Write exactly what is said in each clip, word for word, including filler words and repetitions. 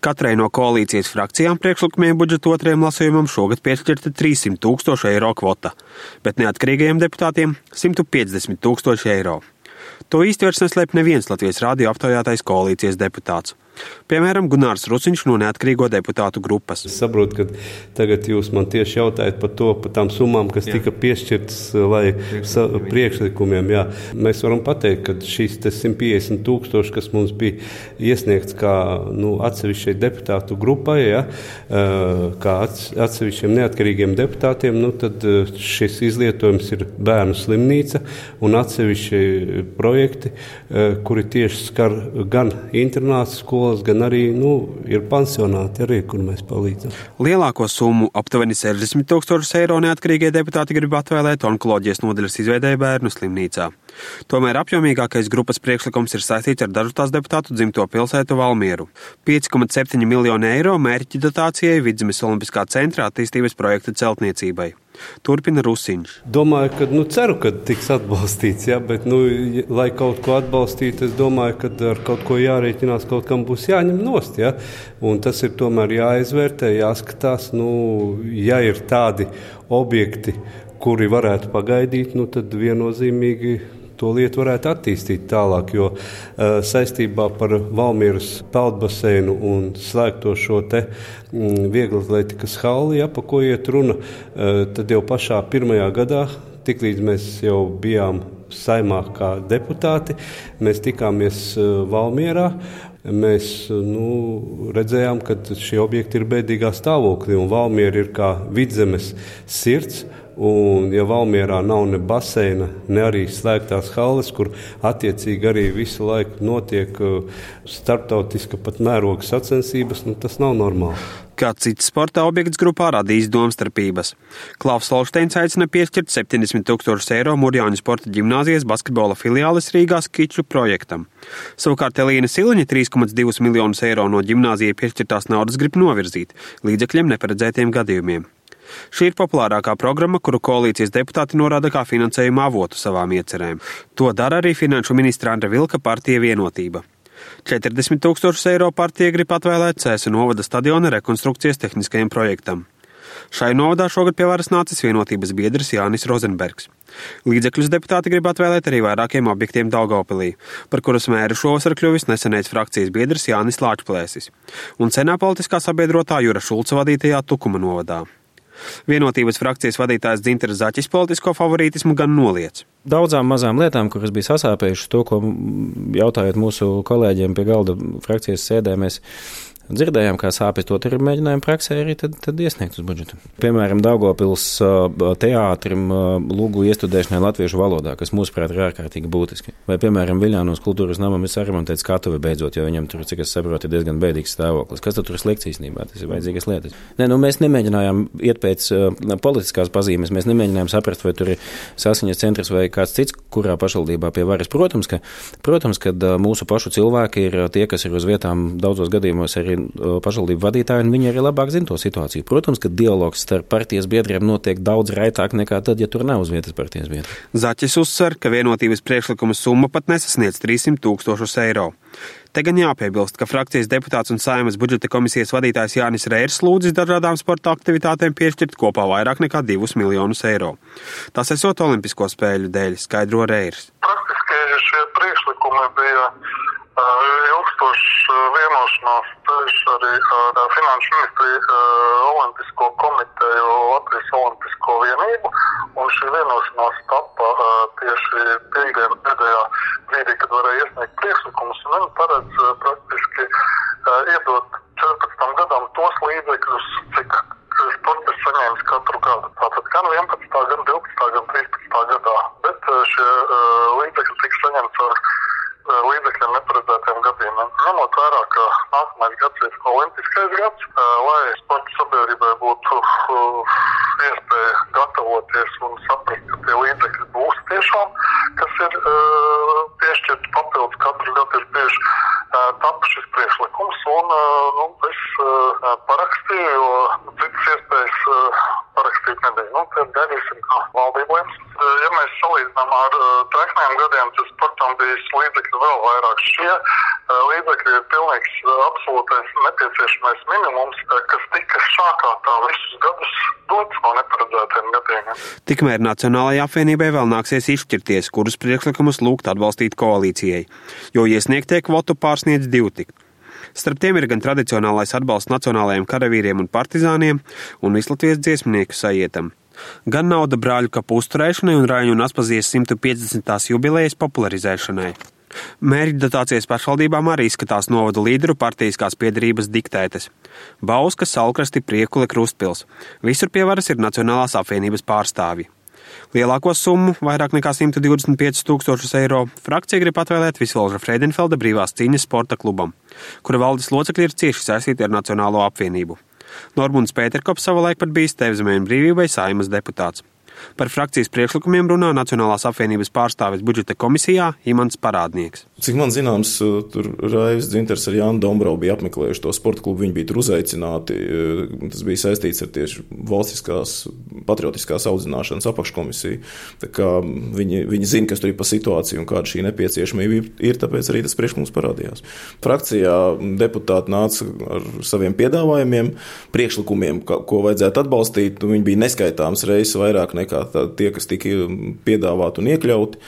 Katrai no koalīcijas frakcijām priekšlikumiem budžeta otrajam lasījumam šogad piešķirta trīssimt tūkstoši eiro kvota, bet neatkarīgajiem deputātiem simt piecdesmit tūkstoši eiro. To īsti vairs neslēp neviens Latvijas radio aptaujātais koalīcijas deputāts. Piemēram, Gunārs Ruciņš no neatkarīgo deputātu grupas. Es saprotu, ka tagad jūs man tieši jautājat par to, par tām summām, kas jā. tika piešķirtas lai sa, priekšlikumiem. Jā. Mēs varam pateikt, ka šīs simt piecdesmit tūkstoši, kas mums bija iesniegts kā nu, atsevišķai deputātu grupai, jā, kā atsevišķiem neatkarīgiem deputātiem, nu, tad šis izlietojums ir bērnu slimnīca un atsevišķi projekti, kuri tieši skar gan internātu skolas, gan arī nu, ir pansionāti, arī, kur mēs palīdzam. Lielāko summu, aptuveni sešdesmit tūkstošus eiro, neatkarīgie deputāti grib atvēlēt onkoloģijas nodaļas izveidei bērnu slimnīcā. Tomēr apjomīgākais grupas priekšlikums ir saistīts ar dažu tās deputātu dzimto pilsētu Valmieru. pieci komats septiņi miljoni eiro mērķi dotācijai Vidzemes Olimpiskā centra attīstības projekta celtniecībai. Turpina Rusiņš. Domāju, ka, nu, ceru, ka tiks atbalstīts, jā, bet, nu, lai kaut ko atbalstītu, es domāju, ka ar kaut ko jārēķinās, kaut kam būs jāņem nost, jā, un tas ir tomēr jāizvērtē, jāskatās, nu, ja ir tādi objekti, kuri varētu pagaidīt, nu, tad viennozīmīgi to lietu varētu attīstīt tālāk, jo uh, saistībā par Valmieras peldbaseinu un slēgto šo te mm, vieglatlētikas halli, ja, pa ko iet runa, uh, tad jau pašā pirmajā gadā, tiklīdz mēs jau bijām saimā kā deputāti, mēs tikāmies uh, Valmierā. Mēs nu, redzējām, ka šie objekti ir bēdīgā stāvoklī, un Valmiera ir kā Vidzemes sirds. Un, ja Valmierā nav ne baseina, ne arī slēgtās halles, kur attiecīgi arī visu laiku notiek starptautiska pat mēroga sacensības, nu, tas nav normāli. Kā cits sporta objekts grupā radīs domstarpības. Klaus Solšteins aicina piešķirt septiņdesmit tūkstošus eiro Murjāņu sporta ģimnāzijas basketbola filiāles Rīgā skiču projektam. Savukārt Elīna Siliņa trīs komats divus miljonus eiro no ģimnāzijai piešķirtās naudas grib novirzīt līdzekļiem neparedzētiem gadījumiem. Šī ir populārākā programma, kuru koalīcijas deputāti norāda kā finansējuma avotu savām iecerēm. To dara arī finanšu ministra Andra Vilka partija Vienotība. četrdesmit tūkstošus eiro partija grib atvēlēt Cēsu novada stadiona rekonstrukcijas tehniskajam projektam. Šai novadā šogad pie varas nācis Vienotības biedrs Jānis Rozenbergs. Līdzekļus deputāti grib atvēlēt arī vairākiem objektiem Daugavpilī, par kuras mēru šovasar kļuvis nesenais frakcijas biedrs Jānis Lāčplēsis un senā politiskā sabiedrotā Jura Šulca vadītajā Tukuma novadā. Vienotības frakcijas vadītājs Dzinteris Zaķis politisko favorītismu gan noliec. Daudzām mazām lietām, kuras bija sasāpējušas to, ko jautājot mūsu kolēģiem pie galda frakcijas sēdē, mēs dzirdējām, kā sāpes to tur mēģinājām praksē arī tad, tad iesniegt uz budžetu. Piemēram, Daugavpils teātrim lūgu iestudēšanai latviešu valodā, kas mūsuprāt ir ārkārtīgi būtiski. Vai, piemēram, Viļānos kultūras namam ir saremontēts skatuve beidzot, jo viņam tur, cik es saprotu, ir diezgan bēdīgs stāvoklis. Kas tad tur ir slikts īstenībā? Tas ir vajadzīgas lietas. Nē, nu mēs nemēģinājām iet pēc uh, politiskās pazīmes, mēs nemēģinājām saprast, vai tur ir saskaņas centrs vai kāds cits, kurā pašvaldībā pie varas. Protams, ka, protams, ka uh, mūsu pašu cilvēki ir tie, kas ir uz vietām daudzos gadījumos arī pašvaldību vadītāji, un viņi arī labāk zina to situāciju. Protams, ka dialogs starp partijas biedriem notiek daudz raitāk nekā tad, ja tur nav uz vietas partijas biedri. Zaķis uzsver, ka Vienotības priekšlikuma summa pat nesasniedz trīssimt tūkstošus eiro. Te gan jāpiebilst, ka frakcijas deputāts un Saeimas budžeta komisijas vadītājs Jānis Reirs lūdzis dažādām sporta aktivitātēm piešķirt kopā vairāk nekā divus miljonus eiro. Tas esot Olimpisko spēļu dēļ, skaidro Reirs. Praktiski šie priekšlikumi bija ilgstošs vienošanās ceļš arī ar Finanšu ministriju, Olimpisko komiteju, Latvijas Olimpisko vienību, un šī vienošanās tapa tieši piekdien pēdējā brīdī, kad varēja iesniegt priekšlikumus, un viņi paredz praktiski iedot četrpadsmitam gadam tos līdzekļus, cik sports saņēmis katru gadu. Tātad gan vienpadsmitā, gan divpadsmitā, gan trīspadsmitā gadā, bet šie līdzekļi tiks saņemts ar līdzekļiem neparedzētiem gadījumiem. Ņemot vērā, ka nākamais gads ir olimpiskais gads, lai sporta sabiedrībai būtu iespēja gatavoties un saprast, ka tie līdzekļi būs tiešām, kas ir piešķirti papildus katru gadu ir tieši tapa šis priekšlikums, un nu, es parakstīju, jo citas iespējas parakstīt nebija. Nu, tad gaidīsim, kā valdība lems. Ja mēs salīdzinām ar treknējiem gadiem, tad sportam bija līdzekļi vēl vairāk. Šie līdzekļi ir pilnīgs absolūtais nepieciešamais minimums, kas tika sākātā visus gadus dots no neparedzētiem gadiem. Tikmēr Nacionālajai apvienībai vēl nāksies izšķirties, kurus priekšlikumus lūgt atbalstīt koalīcijai, jo iesniegtie kvotu pārsniedz divu tik. Starp tiem ir gan tradicionālais atbalsts nacionālajiem karavīriem un partizāniem un Vislatvijas dziesmnieku sajietam, gan nauda brāļu kapu uzturēšanai un Raņu un Aspazijas simt piecdesmitās jubilejas popularizēšanai. Mērķa dotācijas pašvaldībām arī izskatās novadu līderu partijiskās piederības diktētas. Bauska, Salkrasti, Priekule, Krustpils. Visur pie varas ir Nacionālās apvienības pārstāvji. Lielāko summu, vairāk nekā simt divdesmit piecus tūkstošus eiro, frakcija grib atvēlēt Visvalža Freidenfelda brīvās cīņas sporta klubam, kura valdes locekļi ir cieši saistīti ar Nacionālo apvienību. Normunds Pēterkops savulaik pat bijis Tevzemē un brīvībai Saeimas deputāts. Par frakcijas priekšlikumiem runā Nacionālās apvienības pārstāvis budžeta komisijā Imants Parādnieks. Cik man zināms, tur Raivis Dzinters ar Jānu Dombravu bija apmeklējuši to sporta klubu, viņi bija tur uzaicināti. Tas bija saistīts ar tieši valstiskās patriotiskās audzināšanas apakškomisiju. Tā kā viņi, viņi zina, kas tur ir pa situāciju un kāda šī nepieciešamība ir, tāpēc arī tas priekšlikums parādījās. Frakcijā deputāti nāca ar saviem piedāvājumiem, priekšlikumiem, ko vajadzētu atbalstīt. Viņi bija neskaitāms reizes vairāk nekā tā, tie, kas tika piedāvāti un iekļauti,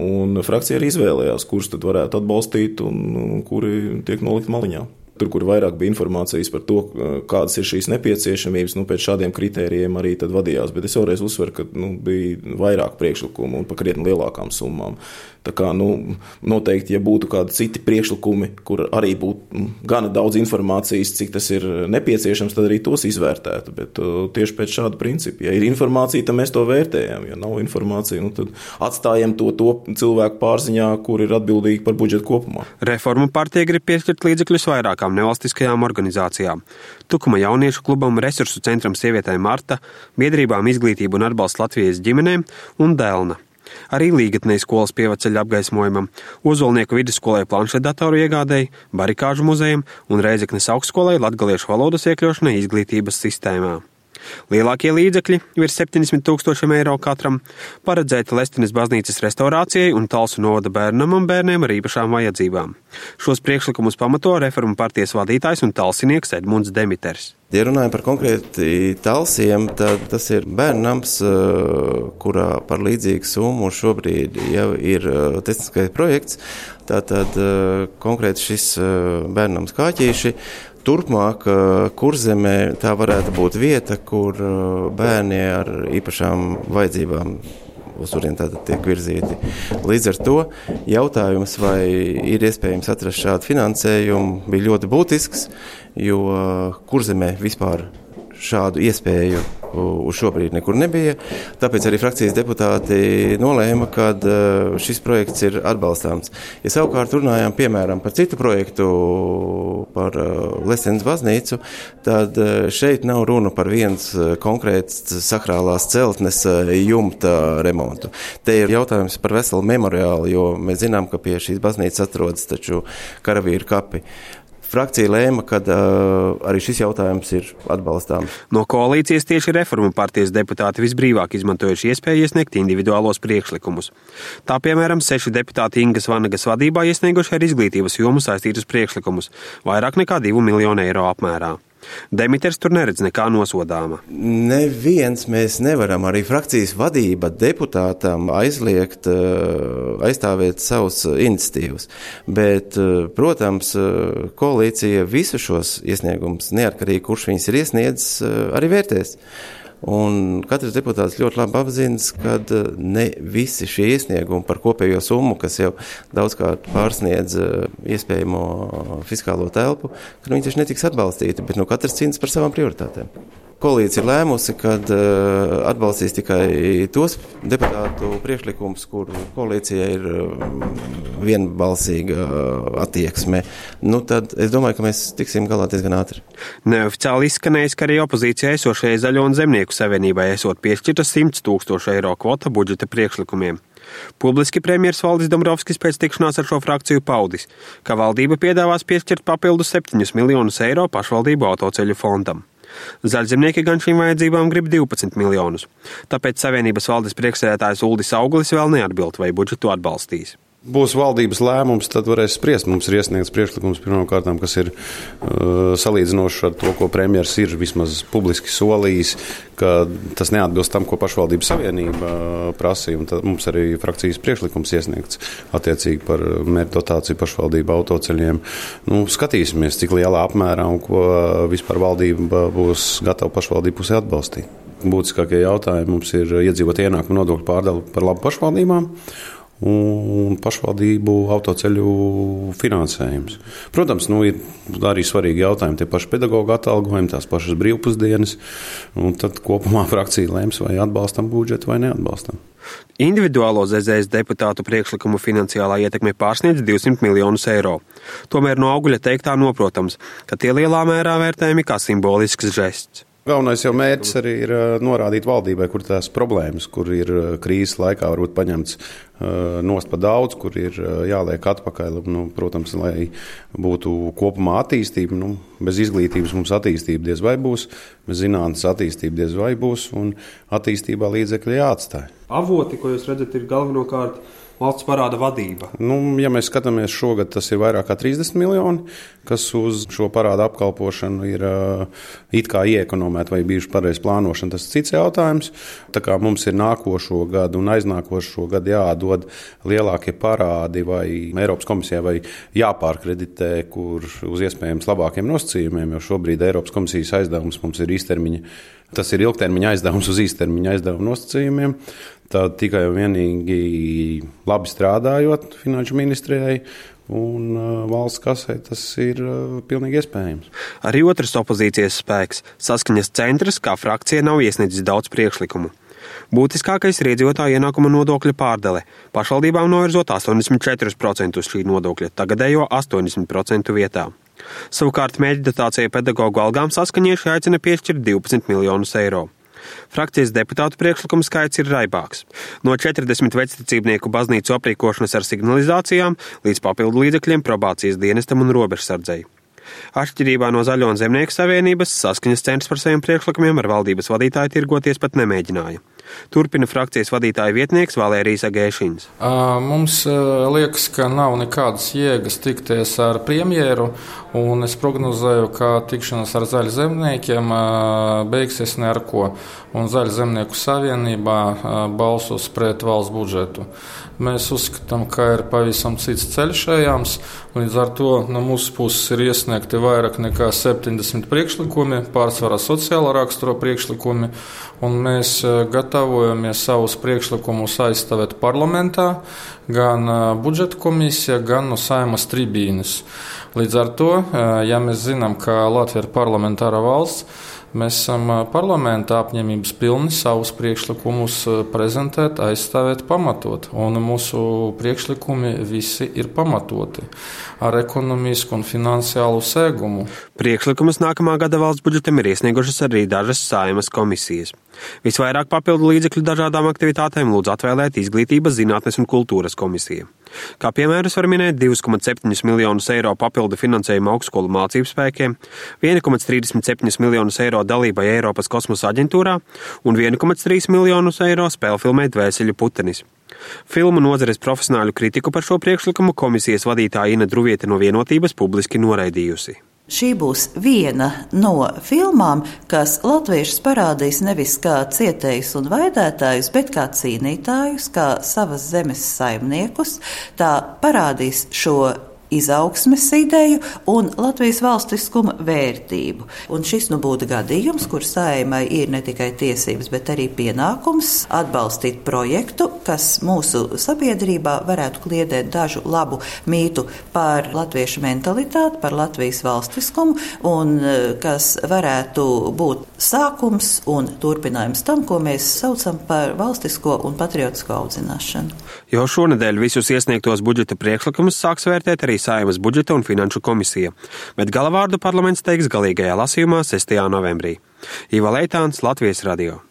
un frakcija arī izvēlējās, kurus tad varētu atbalstīt un kuri tiek nolikt maliņā. Tur, kur vairāk bija informācijas par to, kādas ir šīs nepieciešamības, nu, pēc šādiem kritērijiem arī tad vadījās, bet es vēlreiz uzsveru, ka nu, bija vairāk priekšlikumu un pa krietni lielākām summām. Tā kā, nu, noteikti, ja būtu kādi citi priekšlikumi, kur arī būtu gana daudz informācijas, cik tas ir nepieciešams, tad arī tos izvērtētu, bet uh, tieši pēc šāda principa. Ja ir informācija, tad mēs to vērtējam, ja nav informācija, nu, tad atstājam to, to cilvēku pārziņā, kur ir atbildīgi par budžetu kopumā. Reformu partija grib piešķirt līdzekļus vairākām nevalstiskajām organizācijām. Tukuma jauniešu klubam, Resursu centram sievietēm Marta, biedrībām Izglītība un atbalsts Latvijas ģimenēm un Delna. Arī Līgatnei skolas pievaceļa apgaismojumam, Ozolnieku vidusskolai planšetdatoru iegādēji, Barikāžu muzejam un Reizeknes augstskolai latgaliešu valodas iekļaušanai izglītības sistēmā. Lielākie līdzekļi, virs septiņdesmit tūkstošiem eiro katram, paredzēti Lestenes baznīcas restaurācijai un Talsu novada bērnam un bērniem ar īpašām vajadzībām. Šos priekšlikumus pamato Reformu partijas vadītājs un talsinieks Edmunds Demiters. Ja runājam par konkrēti Talsiem, tad tas ir bērnams, kurā par līdzīgu summu šobrīd jau ir tehniskais projekts. Tātad konkrēti šis bērnams Kāķīši. Turpmāk, Kurzemē tā varētu būt vieta, kur bērni ar īpašām vajadzībām uz turien tātad tiek virzīti. Līdz ar to jautājums, vai ir iespējams atrast šādu finansējumu, bija ļoti būtisks, jo Kurzemē vispār šādu iespēju uz šobrīd nekur nebija. Tāpēc arī frakcijas deputāti nolēma, ka šis projekts ir atbalstāms. Ja savukārt runājām, piemēram, par citu projektu, par Lestenes baznīcu, tad šeit nav runa par viens konkrēts sakrālās celtnes jumta remontu. Te ir jautājums par veselu memoriālu, jo mēs zinām, ka pie šīs baznīcas atrodas taču karavīru kapi. Frakcija lēma, ka uh, arī šis jautājums ir atbalstāms. No koalīcijas tieši Reformu partijas deputāti visbrīvāk izmantojuši iespēju iesniegt individuālos priekšlikumus. Tā, piemēram, seši deputāti Ingas Vanagas vadībā iesnieguši ar izglītības jomu saistītus priekšlikumus, vairāk nekā divu miljonu eiro apmērā. Demiters tur neredz nekā nosodāma. Neviens mēs nevaram, arī frakcijas vadība deputātam aizliegt, aizstāvēt savus iniciatīvas. Bet, protams, koalīcija visu šos iesniegumus, neatkarīgi kurš viņas ir iesniedzis, arī vērtēs. Un katrs deputāts ļoti labi apzinas, ka ne visi šie iesniegumi par kopējo summu, kas jau daudzkārt pārsniedz iespējamo fiskālo telpu, ka viņi taču netiks atbalstīti, bet nu katrs cīnās par savām prioritātēm. Koalīcija ir lēmusi, kad uh, atbalstīs tikai tos deputātu priekšlikumus, kur koalīcija ir uh, vienbalsīga uh, attieksme. Nu, tad es domāju, ka mēs tiksim galā diezgan ātri. Neoficiāli izskanējis, ka arī opozīcijai esošajai Zaļo un Zemnieku savienībai esot piešķirta simts tūkstošu eiro kvota budžeta priekšlikumiem. Publiski premjers Valdis Dombrovskis pēc tikšanās ar šo frakciju paudis, ka valdība piedāvās piešķirt papildus septiņus miljonus eiro pašvaldību autoceļu fondam. Zaļzemnieki gan šīm vajadzībām grib divpadsmit miljonus, tāpēc Savienības valdes priekšsēdētājs Uldis Auglis vēl neatbild, vai budžetu atbalstīs. Būs valdības lēmums, tad varēs spriest. Mums ir iesniegts priekšlikums pirmkārt, kas ir uh, salīdzinošs ar to, ko premjeras ir vismaz publiski solījis, ka tas neatbilst tam, ko pašvaldību savienība uh, prasīja. Un tad mums arī frakcijas priekšlikums iesniegts attiecīgi par mērķu dotāciju pašvaldību autoceļiem. Nu, skatīsimies, cik lielā apmērā un ko vispār valdība būs gatava pašvaldību pusē atbalstīt. Būtiskākie jautājumi mums ir iedzīvotāju ienākumu nodokļu pārdala par labu pašvaldībām un pašvaldību autoceļu finansējums. Protams, nu, ir arī svarīgi jautājumi, tie paši pedagoģu atalgojumi, tās pašas brīvpusdienas, un tad kopumā frakcija lēms, vai atbalstam budžetu vai neatbalstam. Individuālo Z Z S deputātu priekšlikumu finansiālā ietekme pārsniedz divsimt miljonus eiro. Tomēr no Auguļa teiktā noprotams, ka tie lielā mērā vērtējami kā simbolisks žests. Galvenais jau mērķis arī ir norādīt valdībai, kur tās problēmas, kur ir krīzes laikā varbūt paņemts nost pa daudz, kur ir jāliek atpakaļ. Nu, protams, lai būtu kopumā attīstība, nu, bez izglītības mums attīstība diez vai būs, bez zinātnes attīstība diez vai būs, un attīstībā līdzekļi jāatstāj. Avoti, ko jūs redzat, ir galvenokārt valsts parāda vadība. Nu, ja mēs skatāmies šogad, tas ir vairāk kā trīsdesmit miljoni, kas uz šo parādu apkalpošanu ir uh, it kā ieekonomēti vai bijuši pareizi plānošana. Tas ir cits jautājums. Tā kā mums ir nākošo gadu un aiznākošo gadu jādod lielākie parādi vai Eiropas komisijai vai jāpārkreditē, kur uz iespējams labākiem nosacījumiem, jo šobrīd Eiropas komisijas aizdevums mums ir īstermiņa. Tas ir ilgtermiņa aizdevums uz īstermiņa aizdevuma nosacījumiem. Tad tikai un vienīgi labi strādājot finanšu ministrijai un valsts kasē, tas ir pilnīgi iespējams. Arī otrs opozīcijas spēks, Saskaņas centrs, kā frakcija nav iesniedzis daudz priekšlikumu. Būtiskākais ir iedzīvotāju ienākuma nodokļa pārdale. Pašvaldībām novirzot astoņdesmit četri procenti šī nodokļa, tagadējo astoņdesmit procentu vietā. Savukārt mērķa dotācija pedagoģu algām saskaņieši aicina piešķirt divpadsmit miljonus eiro. Frakcijas deputātu priekšlikuma skaits ir raibāks. No četrdesmit vecticībnieku baznīcu aprīkošanas ar signalizācijām līdz papildu līdzekļiem probācijas dienestam un robežsardzei. Atšķirībā no Zaļo un Zemnieku savienības, Saskaņas centrs par saviem priekšlikumiem ar valdības vadītāju tirgoties pat nemēģināja. Turpina frakcijas vadītāja vietnieks Valērijas Agēšiņš. Mums liekas, ka nav nekādas jēgas tikties ar premjeru, un es prognozēju, ka tikšanās ar Zaļu zemniekiem beigsies ne ar ko, un Zaļu zemnieku savienībā balsos pret valsts budžetu. Mēs uzskatām, ka ir pavisam cits ceļš ejams, līdz ar to no mūsu puses ir iesniegti vairāk nekā septiņdesmit priekšlikumi, pārsvarā sociālā rakstura priekšlikumi, un mēs gatavojamies savus priekšlikumus aizstāvēt parlamentā, gan budžeta komisija, gan no Saeimas tribīnes. Līdz ar to, ja mēs zinām, ka Latvija ir parlamentāra valsts, mēs esam parlamentā apņemības pilni savus priekšlikumus prezentēt, aizstāvēt, pamatot. Un mūsu priekšlikumi visi ir pamatoti ar ekonomisku un finansiālu sēgumu. Priekšlikumus nākamā gada valsts budžetam ir iesniegušas arī dažas Saeimas komisijas. Visvairāk papildu līdzekļu dažādām aktivitātēm lūdz atvēlēt Izglītības, zinātnes un kultūras komisija. Kā piemērus var minēt divi komats septiņi miljonus eiro papildu finansējumu augstskolu mācību spēkiem, viens komats trīsdesmit septiņi miljonus eiro dalībai Eiropas kosmosa aģentūrā un viens komats trīs miljonus eiro spēlfilmē Dvēseļu putenis. Filmu nozares profesionāļu kritiku par šo priekšlikumu komisijas vadītāja Ina Druviete no Vienotības publiski noraidījusi. Šī būs viena no filmām, kas latviešus parādīs nevis kā cietējus un vaidētājus, bet kā cīnītājus, kā savas zemes saimniekus. Tā parādīs šo izaugsmes ideju un Latvijas valstiskuma vērtību. Un šis nu būtu gadījums, kur Saeimai ir ne tikai tiesības, bet arī pienākums atbalstīt projektu, kas mūsu sabiedrībā varētu kliedēt dažu labu mītu par latviešu mentalitāti, par Latvijas valstiskumu un kas varētu būt sākums un turpinājums tam, ko mēs saucam par valstisko un patriotisko audzināšanu. Jo šonedēļ visus iesniegtos budžeta priekšlikumus sāks vērtēt arī Saeimas budžeta un finanšu komisija, bet galavārdu parlaments teiks galīgajā lasījumā sestajā novembrī. Iva Leitāns, Latvijas radio.